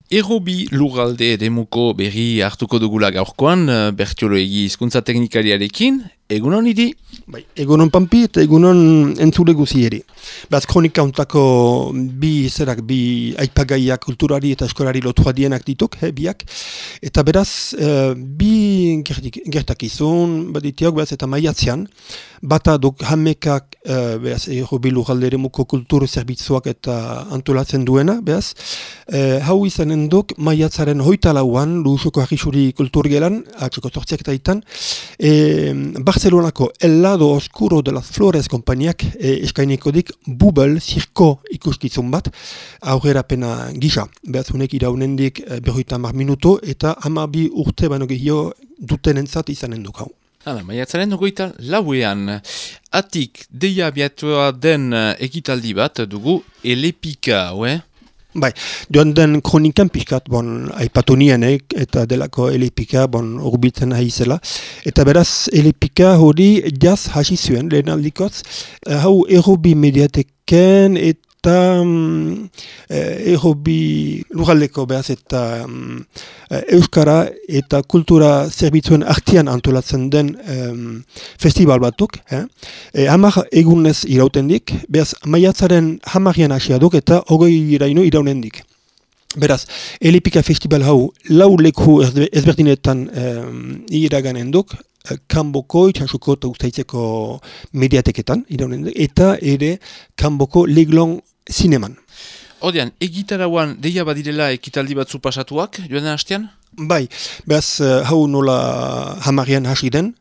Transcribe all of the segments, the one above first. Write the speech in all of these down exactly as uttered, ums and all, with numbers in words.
Errobi lurralde eremuko berri hartuko dugula gaurkoan, Bertioloegi hizkuntza teknikariarekin, egunon idi? Bai, egunon Pampi eta egunon entzule guzieri. Beraz, kronika untako bi zerak, bi aipagaiak kulturari eta eskolari lotua dienak dituk, he, biak. Eta beraz, uh, bi gertakizun, baditiok, beraz, eta maiatzean, bata duk hamekak, uh, beraz, Errobi lurralde eremuko kultur zerbitzuak eta antolatzen duena, beraz, uh, hau izanen duk maiatzaren hoita lauan, Luzoko Harrisuri kulturgelan, atxoko zortziak eta itan, e, Barcelonako El Lado Oscuro de las Flores konpainiak e, eskainiko dik Bubble zirko ikuskizun bat, aurrera pena gisa. Beraz, unek iraunendik e, berroita hamar minuto eta hamabi urte baino gehiago duten entzat izanen duk hau. Hala, maiatzaren ogoita lauean, atik deia abiatua den ekitaldi bat dugu Elepika, hoe? Bai, joan den kronikan pixkat, bon, aipatu nienek, eta delako Elepika, bon, urbitzen haizela. Eta beraz, Elepika hori jaz hasi zuen, lehen aldikotz, hau Errobi mediateken eta um, Errobi lurraldeko beraz eta um, Euskara eta kultura zerbitzuen artean antolatzen den um, festival batuk. Eh? E, hamar egunez irautendik, beraz maiatzaren hamarian hasia duk eta hogei iraino iraunendik. Beraz, Elepika festival hau lau leku ezberdinetan um, iraganen duk, Kanboko, itxasuko eta ustaitzeko mediateketan, iraunen, eta ere Kanboko Leglon zineman. Odean, egitarauan deia badirela ekitaldi batzu pasatuak, joan den hastean? Bai, beraz, hau nola hamarian hasi den,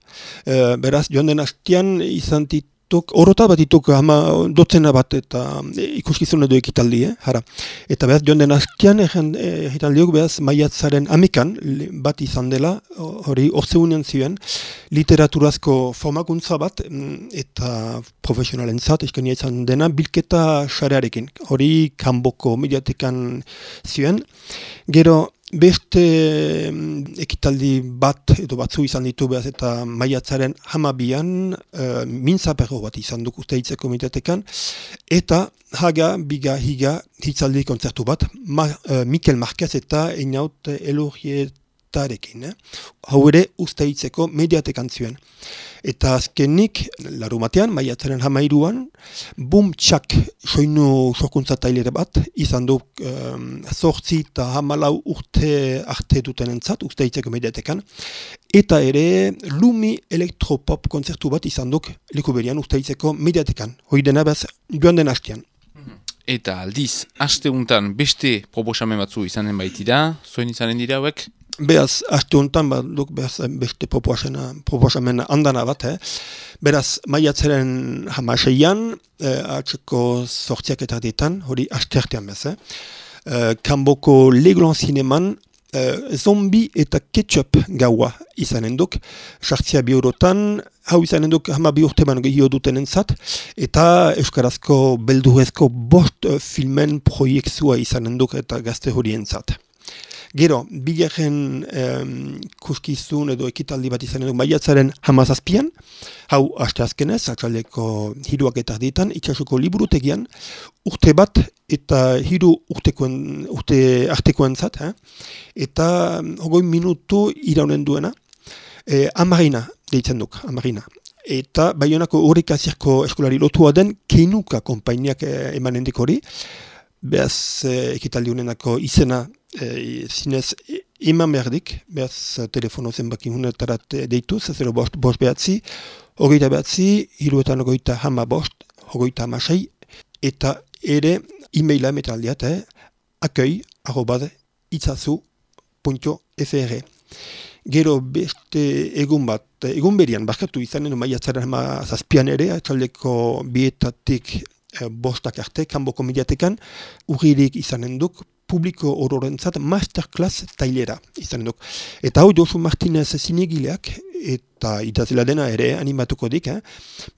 beraz, joan den hastean izan dituk, orota bat dituk hama dotzena bat eta ikuskizun edo ekitaldi, eh, jara. Eta beraz, joan den hastean ekitaldiok, beraz, maiatzaren amekan bat izan dela, hori orzeunen zioen, literaturazko formakuntza bat eta profesionalentzat eskenia izan dena bilketa sarearekin. Hori Kanboko mediatekan zioen. Gero, beste ekitaldi bat edo batzu izan ditu behaz eta maiatzaren hamabian uh, mintzaperro bat izan duk ustaitzeko mediatekan eta haga, biga, higa hitzaldi kontzertu bat Ma, uh, Mikel Marquez eta Einaut Elorrietarekin. Eh? Hau ere ustaitzeko mediatekan zuen. Eta azkenik, larumatean, maiatzaren hamairuan, Bum Txak soinu sorkuntza tailere bat, izan du um, zortzi eta hamalau urte arte duten entzat, ustaitzeko mediatekan, eta ere Lumi elektropop konzertu bat izan duk leku berian ustaitzeko mediatekan, hoi dena bez joan den hastean. Eta aldiz, haste untan beste proposamen batzu izanen baitira, zoin izanen dira hauek? Beraz, aste honetan, ba, duk, beraz, beste proposamen andana bat, eh? Beraz, maiatzaren hamaseian, eh, atzeko zortziak eta ditan, hori aste artean bez, eh? Eh, Kanboko Leglon zineman, eh, zombi eta ketchup gaua izanen duk, sartzia bi eurotan, hau izanen duk hama bi urte baino gehiago duten entzat, eta euskarazko beldurrezko bost uh, filmen proiektzua izanen duk eta gazte hori entzat. Gero, bigarren um, kuskizun edo ekitaldi bat izanen duk maiatzaren hamazazpian, hau aste azkenez, atxaldeko hiruak eta ditan, itxasuko liburutegian, urte bat eta hiru urtekoen, urte artekoen zat, eh? Eta um, hogoi minutu iraunen duena, eh, amarina deitzen duk, amarina. Eta Baionako Horeka Zirko eskolari lotua den Keinuka konpainiak eh, emanen dik hori, behaz eh, ekitaldi honenako izena eh, zinez eman berdik, behaz telefono zenbaki hunetarat deitu, zazero bost, bost behatzi, hogeita behatzi, hiruetan hogeita hama bost, hogeita hamasei, eta ere e-maila metaldiat, eh, akoi, arrobad, itzazu, punto fr. Gero beste egun bat, egun berian, barkatu izanen maiatzaren hama zazpian ere, atxaldeko bietatik e, bostak arte, Kanboko mediatekan, urririk izanen duk, publiko ororentzat masterclass tailera izanen duk. Eta hau Josu Martinez zinegileak, eta idazela dena ere animatuko dik, eh?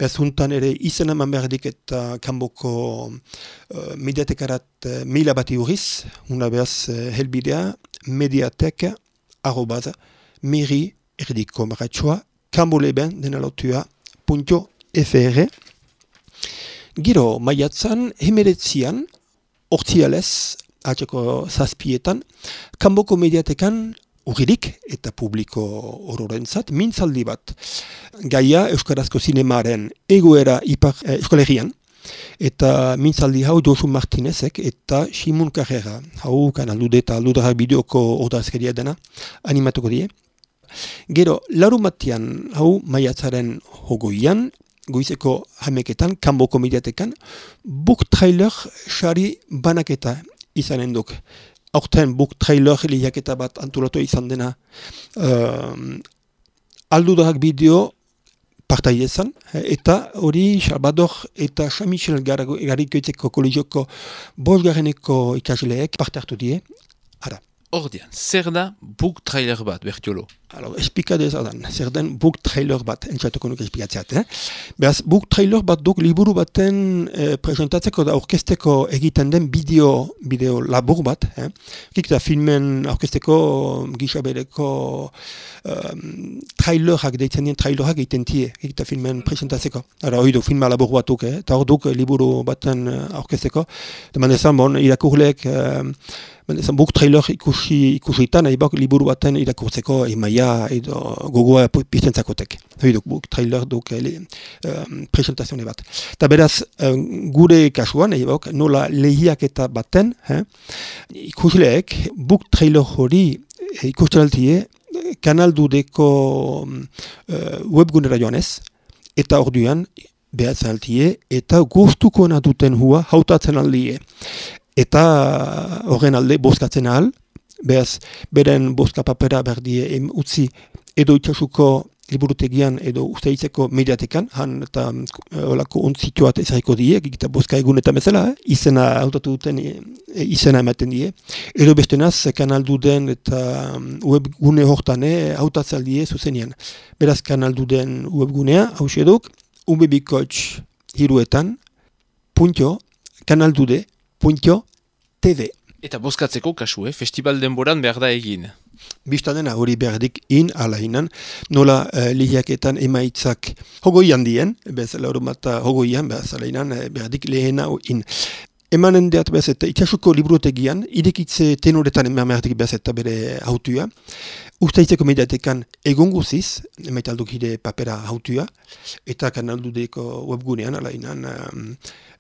Beraz huntan ere izena eman behar dik eta Kanboko uh, mediatekarat uh, maila bati urriz, una behaz uh, helbidea, mediateka, arrobaz, meri erdiko maratxoa, kanboleben dena lotua, punto fr. Gero, maiatzan, hemeretzian, ortsialez, atxeko zazpietan, kanboko mediatekan urririk eta publiko ororentzat, mintzaldi bat. Gaia Euskarazko zinemaren egoera ipar eh, eskolegian, eta mintzaldi hau Josu Martinezek eta Simon Carrera, hau kanaldude eta aldudarak bideoko ordazkeria dena, animatuko die. Gero, larumatian hau maiatzaren hogoian, goizeko hameketan, kanboko mediatekan, book trailer sari banaketa izanen duk. Aurten book trailer lehiaketa bat antolatu izan dena uh, aldudarak bideo partaidezan, eta hori Salvador eta Jean-Michel Garrikoetzeko kolegioko bosgarreneko ikasleek parte hartu die. Ara. Ordian, zer da book trailer bat, Bertiolo? Alors, esplikade zadan, zer den book trailer bat, entzatuko nuke esplikatzeat. Eh? Beraz, book trailer bat duk liburu baten eh, presentatzeko da aurkezteko egiten den bideo, bideo labur bat. Eh? Kik da filmen aurkezteko gisa bereko um, trailerak, deitzen dien trailerak egiten tie, kik da filmen presentatzeko. Ara, hori du, filma labur batuk, eh? eta hor duk liburu baten aurkezteko. Deman ezan, bon, irakurleek, eh, Ezan, book trailer ikusi, ikusitan, nahi bak liburu baten irakurtzeko emaia edo gogoa piztentzakotek. Hoi duk, book trailer duk ele, um, presentazione bat. Ta beraz, um, gure kasuan, nahi bak, nola lehiak eta baten, eh, ikusleek book trailer hori ikustenaltie kanaldudeko um, uh, webgunera joanez, eta orduan behatzen altie, eta gustuko duten hua hautatzen aldie. Eta horren alde bozkatzen ahal, behaz, beren bozka papera berdie em, utzi edo itxasuko liburutegian edo usteitzeko mediatekan, han eta olako ontzituat ezariko die, eta bozka egunetan bezala, eh? izena hautatu duten e, izena ematen die. Edo bestenaz, kanalduden eta webgune hortane hautatzen die zuzenean. Beraz, kanalduden webgunea, hauxe duk, ubebikoitz hiruetan, puntio, kanaldude, Punto T V. Eta bozkatzeko kasu, eh? Festival denboran behar da egin. Biztadena hori berdik in, ala inan, nola uh, lehiaketan emaitzak hogoian dien, bez laurumata hogoian, bez ala inan, berdik lehena in. Emanen deat bez eta itxasuko librutegian, idekitze tenoretan eman berdik bez eta bere hautua. Ustaitzeko mediatekan egon guziz, emaitalduk hide papera hautua, eta kanaldudeko webgunean, ala inan, um,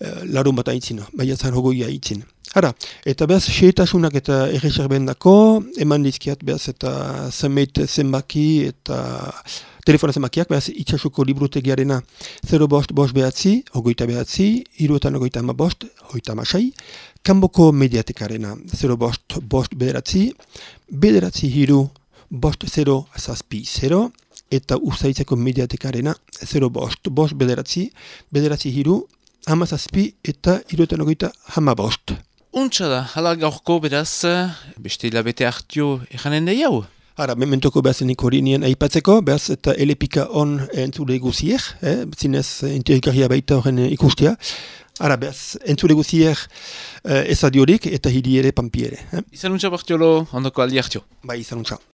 uh, larun bat aitzin, baiatzan hogoia aitzin. Hara, eta behaz, xeetasunak eta erreserben dako, eman dizkiat behaz eta zenbait zenbaki eta telefona zenbakiak, behaz, itxasuko librutegiarena zero bost bost behatzi, hogeita behatzi, hiruetan hogeita ama bost, hogeita amasei, kanboko mediatekarena zero bost bost bederatzi, bederatzi hiru bost zero zazpi zero, eta ustaitzeko mediatekarena zero bost bost bederatzi, bederatzi hiru, hama zazpi eta hiruetan hogeita hama bost. Untsa da, hala gaurko beraz, beste hilabete hartio eranen da jau? Hara, mementoko behazenik hori nien aipatzeko, behaz eta elepika on entzule guziek, eh? zinez interikaria baita horren ikustia. Hara, behaz, entzule guziek eh, ezadiorik eta hiri ere pampi ere. Eh? Izan untsa, Bertiolo, ondoko aldi hartio. Bai, izan untsa.